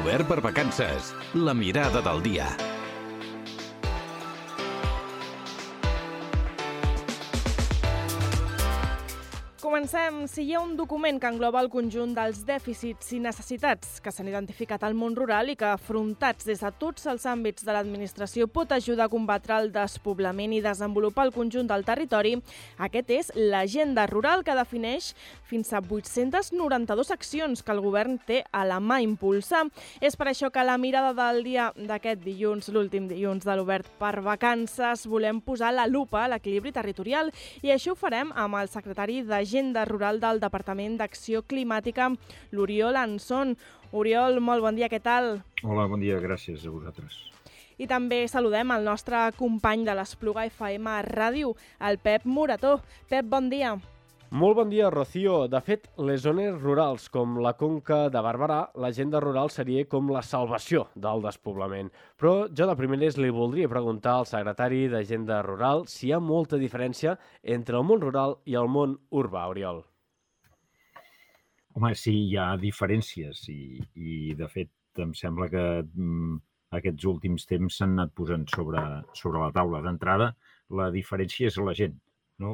Obert per vacances. La mirada del dia. Comencem. Si hi ha un document que engloba el conjunt dels dèficits i necessitats que s'han identificat al món rural i que, afrontats des de tots els àmbits de l'administració, pot ajudar a combatre el despoblament i desenvolupar el conjunt del territori, aquest és l'Agenda Rural, que defineix fins a 892 accions que el govern té a la mà impulsar. És per això que a la mirada del dia d'aquest dilluns, l'últim dilluns de l'Obert per vacances, volem posar la lupa a l'equilibri territorial i això ho farem amb el secretari d'Agenda Rural del Departament d'Acció Climàtica, l'Oriol Anson. Oriol, molt bon dia, què tal? Hola, bon dia, gràcies a vosaltres. I també saludem el nostre company de l'Espluga FM Ràdio, el Pep Morató. Pep, bon dia. Molt bon dia, Rocío. De fet, les zones rurals com la Conca de Barberà, l'agenda rural seria com la salvació del despoblament. Però jo de primeres li voldria preguntar al secretari d'Agenda Rural si hi ha molta diferència entre el món rural i el món urbà, Oriol. Home, sí, hi ha diferències i de fet, em sembla que aquests últims temps s'han anat posant sobre la taula. D'entrada, la diferència és la gent. No?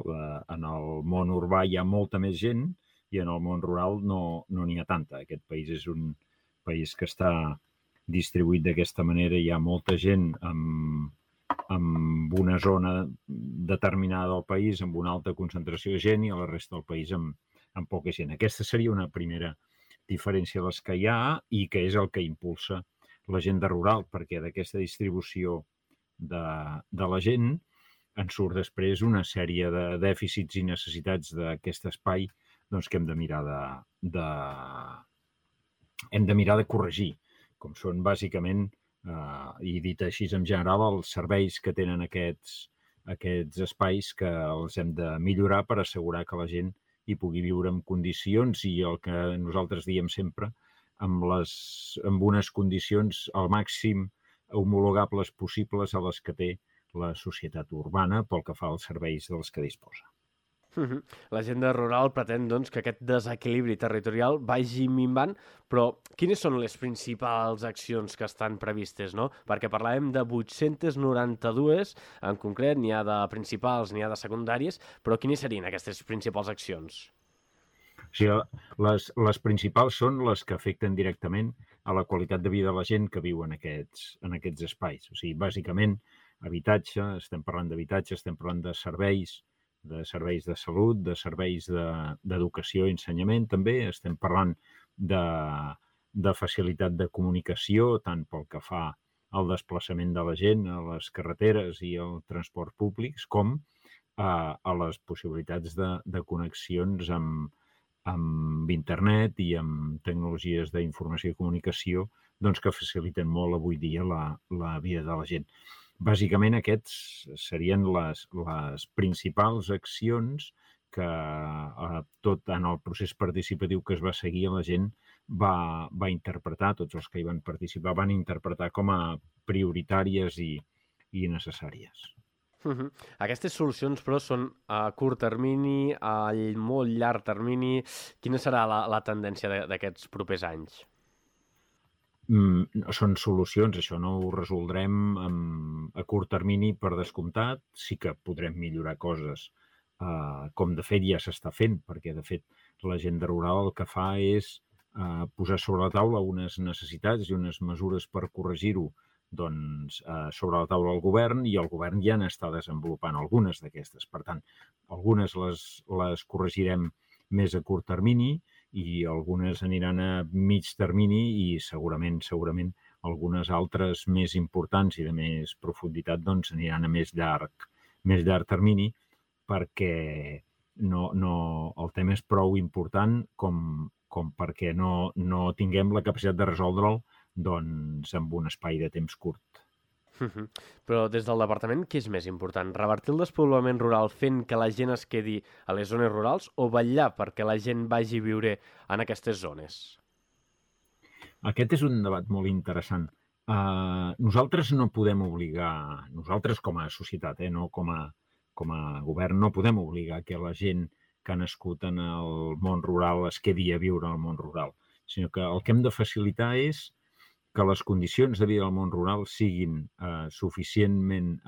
En el món urbà hi ha molta més gent i en el món rural no n'hi ha tanta. Aquest país és un país que està distribuït d'aquesta manera. Hi ha molta gent amb una zona determinada del país, amb una alta concentració de gent, i a la resta del país amb poca gent. Aquesta seria una primera diferència de les que hi ha i que és el que impulsa l'agenda rural, perquè d'aquesta distribució de la gent en surt després una sèrie de dèficits i necessitats d'aquest espai doncs, que hem de mirar de corregir, com són bàsicament, i dit així en general, els serveis que tenen aquests espais que els hem de millorar per assegurar que la gent hi pugui viure en condicions i el que nosaltres diem sempre, amb unes condicions al màxim homologables possibles a les que té la societat urbana pel que fa als serveis dels que disposa. L'agenda rural pretén doncs, que aquest desequilibri territorial vagi minvant, però quines són les principals accions que estan previstes? No? Perquè parlàvem de 892, en concret, n'hi ha de principals, n'hi ha de secundàries, però quines serien aquestes principals accions? O sigui, les principals són les que afecten directament a la qualitat de vida de la gent que viu en aquests espais. O sigui, bàsicament, habitatge, estem parlant d'habitatge, estem parlant de serveis de salut, de serveis d'educació i ensenyament també, estem parlant de facilitat de comunicació, tant pel que fa al desplaçament de la gent a les carreteres i al transport públics, com a les possibilitats de connexions amb internet i amb tecnologies d'informació i comunicació doncs, que faciliten molt avui dia la vida de la gent. Bàsicament, aquests serien les principals accions que tot en el procés participatiu que es va seguir la gent va interpretar, tots els que hi van participar van interpretar com a prioritàries i necessàries. Aquestes solucions, però, són a curt termini, a molt llarg termini. Quina serà la tendència d'aquests propers anys? Són solucions, això no ho resoldrem a curt termini per descomptat, sí que podrem millorar coses, com de fet ja s'està fent, perquè de fet l'agenda rural el que fa és posar sobre la taula unes necessitats i unes mesures per corregir-ho doncs, sobre la taula del govern, i el govern ja n'està desenvolupant algunes d'aquestes. Per tant, algunes les corregirem més a curt termini i algunes aniran a mig termini i segurament algunes altres més importants i de més profunditat doncs aniran a més llarg termini, perquè el tema és prou important com perquè no tinguem la capacitat de resoldre'l doncs, amb un espai de temps curt. Però des del departament, què és més important? Revertir el despoblament rural fent que la gent es quedi a les zones rurals o vetllar perquè la gent vagi a viure en aquestes zones? Aquest és un debat molt interessant. Nosaltres no podem obligar, nosaltres com a societat, no com a govern, no podem obligar que la gent que ha nascut en el món rural es quedi a viure al món rural, sinó que el que hem de facilitar és que les condicions de vida del món rural siguin suficientment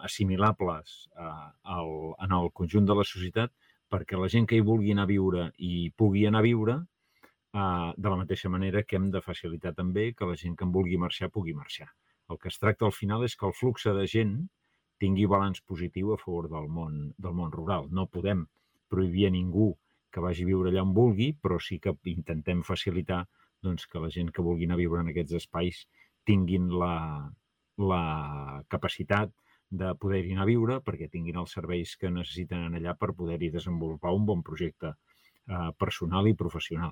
assimilables en el conjunt de la societat perquè la gent que hi vulgui anar a viure hi pugui anar a viure, de la mateixa manera que hem de facilitar també que la gent que en vulgui marxar pugui marxar. El que es tracta al final és que el flux de gent tingui balanç positiu a favor del món rural. No podem prohibir a ningú que vagi a viure allà on vulgui, però sí que intentem facilitar doncs, que la gent que vulgui anar a viure en aquests espais tinguin la capacitat de poder-hi anar a viure perquè tinguin els serveis que necessiten allà per poder-hi desenvolupar un bon projecte personal i professional.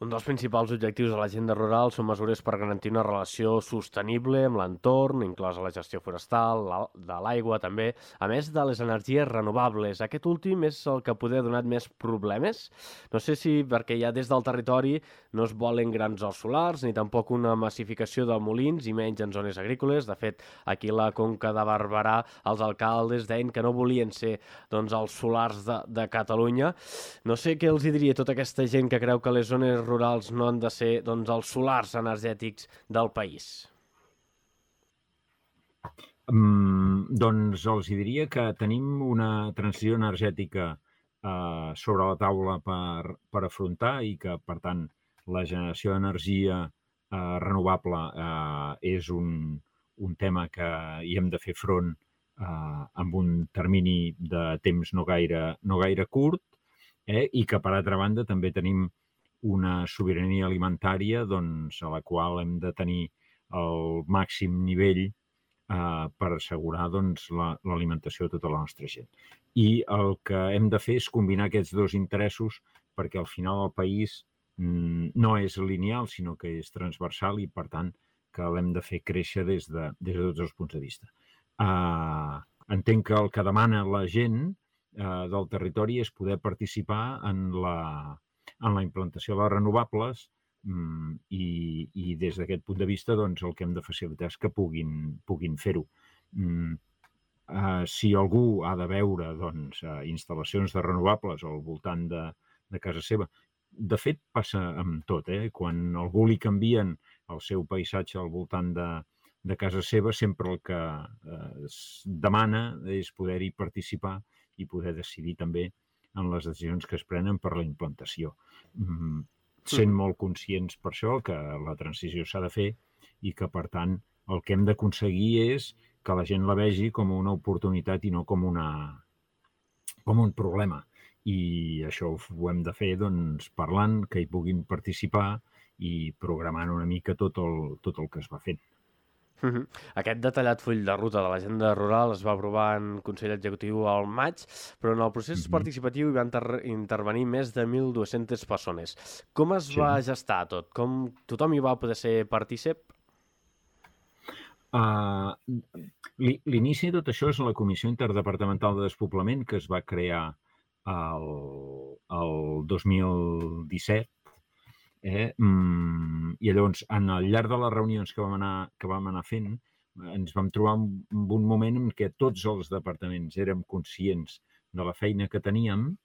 Un dels principals objectius de l'agenda rural són mesures per garantir una relació sostenible amb l'entorn, inclosa la gestió forestal, de l'aigua també, a més de les energies renovables. Aquest últim és el que poder ha donat més problemes. No sé si perquè ja des del territori no es volen grans horts solars ni tampoc una massificació de molins i menys en zones agrícoles. De fet, aquí a la Conca de Barberà els alcaldes deien que no volien ser doncs, els solars de Catalunya. No sé què els diria tota aquesta gent que creu que les zones rurals no han de ser doncs, els solars energètics del país? Doncs els diria que tenim una transició energètica sobre la taula per afrontar i que, per tant, la generació d'energia renovable és un tema que hi hem de fer front amb un termini de temps no gaire curt, i que, per altra banda, també tenim una sobirania alimentària doncs, a la qual hem de tenir el màxim nivell per assegurar doncs, l'alimentació de tota la nostra gent. I el que hem de fer és combinar aquests dos interessos perquè al final el país no és lineal, sinó que és transversal i, per tant, que l'hem de fer créixer des de tots els punts de vista. Entenc que el que demana la gent del territori és poder participar en la implantació de les renovables i des d'aquest punt de vista doncs, el que hem de facilitar és que puguin fer-ho. Si algú ha de veure doncs, instal·lacions de renovables al voltant de casa seva, de fet passa amb tot, quan a algú li canvien el seu paisatge al voltant de casa seva, sempre el que es demana és poder-hi participar i poder decidir també en les decisions que es prenen per la implantació. Sent molt conscients per això que la transició s'ha de fer i que, per tant, el que hem d'aconseguir és que la gent la vegi com una oportunitat i no com un problema. I això ho hem de fer doncs, parlant, que hi puguin participar i programant una mica tot el que es va fent. Aquest detallat full de ruta de l'agenda rural es va aprovar en Consell Executiu al maig, però en el procés participatiu hi van intervenir més de 1.200 persones. Com es va gestar tot? Com tothom hi va poder ser partícip? L'inici de tot això és la Comissió Interdepartamental de Despoblament que es va crear el 2017. I llavors, al llarg de les reunions que vam anar fent, ens vam trobar en un moment en què tots els departaments érem conscients de la feina que teníem,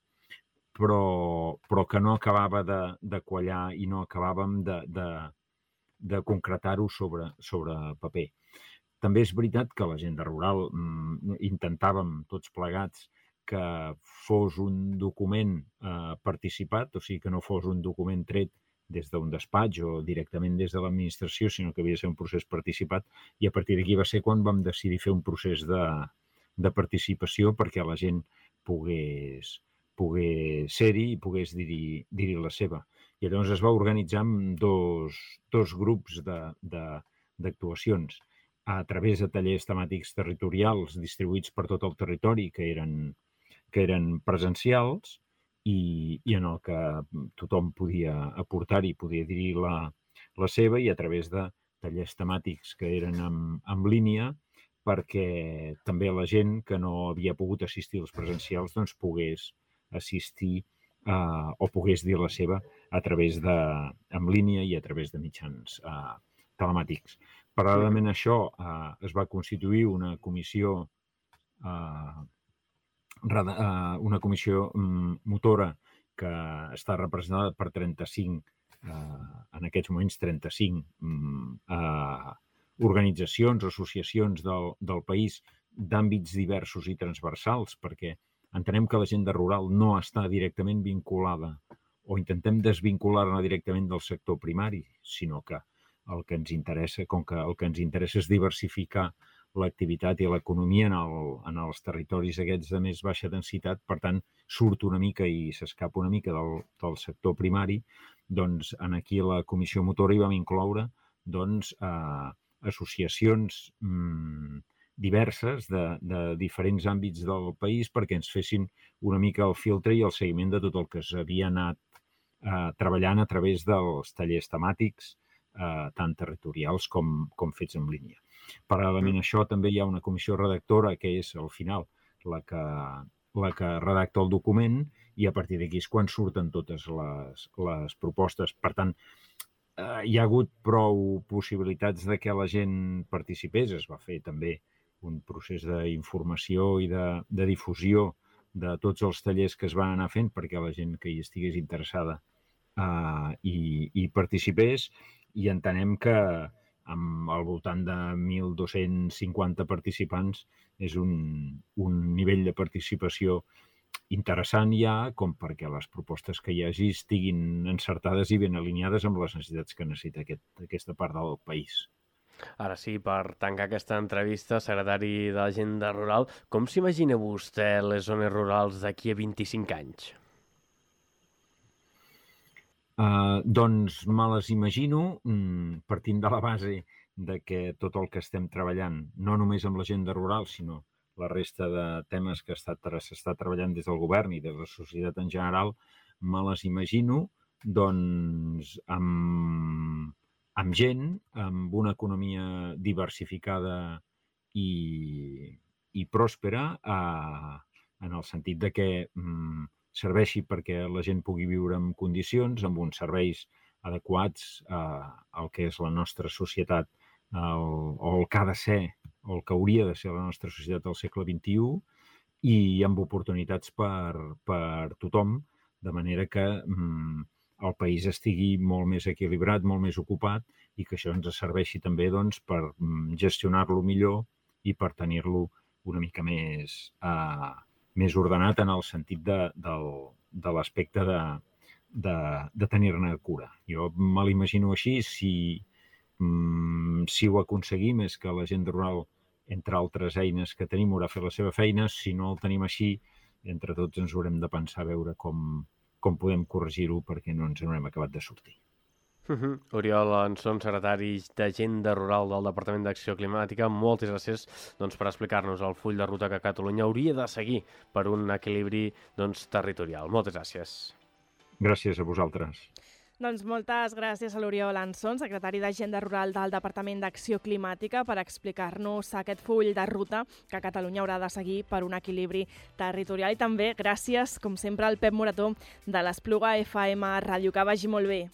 però que no acabava de quallar i no acabàvem de concretar-ho sobre paper. També és veritat que l'agenda rural intentàvem tots plegats que fos un document participat, o sigui, que no fos un document tret des d'un despatx o directament des de l'administració, sinó que havia de ser un procés participat, i a partir d'aquí va ser quan vam decidir fer un procés de participació perquè la gent pogués ser-hi i pogués dir-hi la seva. I llavors es va organitzar amb dos grups d'actuacions a través de tallers temàtics territorials distribuïts per tot el territori que eren presencials i en el que tothom podia aportar-hi, podia dir la seva, i a través de tallers temàtics que eren en línia perquè també la gent que no havia pogut assistir als presencials doncs pogués assistir o pogués dir la seva a través en línia i a través de mitjans telemàtics. Paral·lelament a això es va constituir una comissió motora que està representada per 35 en aquests moments 35 organitzacions o associacions del país d'àmbits diversos i transversals, perquè entenem que l'agenda rural no està directament vinculada o intentem desvincular-la directament del sector primari, sinó que el que ens interessa, com que el que ens interessa és diversificar l'activitat i l'economia en els territoris aquests de més baixa densitat, per tant, surt una mica i s'escapa una mica del sector primari, doncs aquí a la Comissió Motora hi vam incloure associacions diverses de diferents àmbits del país perquè ens fessin una mica el filtre i el seguiment de tot el que s'havia anat treballant a través dels tallers temàtics, tant territorials com fets en línia. Paral·lelament a això també hi ha una comissió redactora que és, al final, la que redacta el document i a partir d'aquí és quan surten totes les propostes. Per tant, hi ha hagut prou possibilitats de que la gent participés. Es va fer també un procés d'informació i de difusió de tots els tallers que es van anar fent perquè la gent que hi estigués interessada hi participés, i entenem que amb al voltant de 1.250 participants és un nivell de participació interessant ja com perquè les propostes que hi hagi estiguin encertades i ben alineades amb les necessitats que necessita aquesta part del país. Ara sí, per tancar aquesta entrevista, secretari de l'Agenda Rural, com s'imagina vostè les zones rurals d'aquí a 25 anys? Doncs me les imagino partint de la base de que tot el que estem treballant, no només amb l'agenda rural, sinó la resta de temes que s'està treballant des del govern i de la societat en general, me les imagino doncs amb gent, amb una economia diversificada i pròspera, en el sentit de que serveixi perquè la gent pugui viure en condicions, amb uns serveis adequats al que és la nostra societat, o el que ha de ser, o el que hauria de ser la nostra societat del segle XXI, i amb oportunitats per tothom, de manera que el país estigui molt més equilibrat, molt més ocupat, i que això ens serveixi també doncs, per gestionar-lo millor i per tenir-lo una mica més ordenat en el sentit de l'aspecte de tenir-ne cura. Jo me l'imagino així. Si ho aconseguim és que l'agenda rural, entre altres eines que tenim, haurà fet la seva feina. Si no el tenim així, entre tots ens haurem de pensar a veure com podem corregir-ho perquè no ens n'haurem acabat de sortir. Oriol Anson, secretari d'Agenda Rural del Departament d'Acció Climàtica, moltes gràcies per explicar-nos el full de ruta que Catalunya hauria de seguir per un equilibri territorial. Moltes gràcies. Gràcies a vosaltres. Doncs moltes gràcies a l'Oriol Anson, secretari d'Agenda Rural del Departament d'Acció Climàtica, per explicar-nos aquest full de ruta que Catalunya haurà de seguir per un equilibri territorial. I també gràcies, com sempre, al Pep Morató de l'Espluga FM Ràdio. Que vagi molt bé.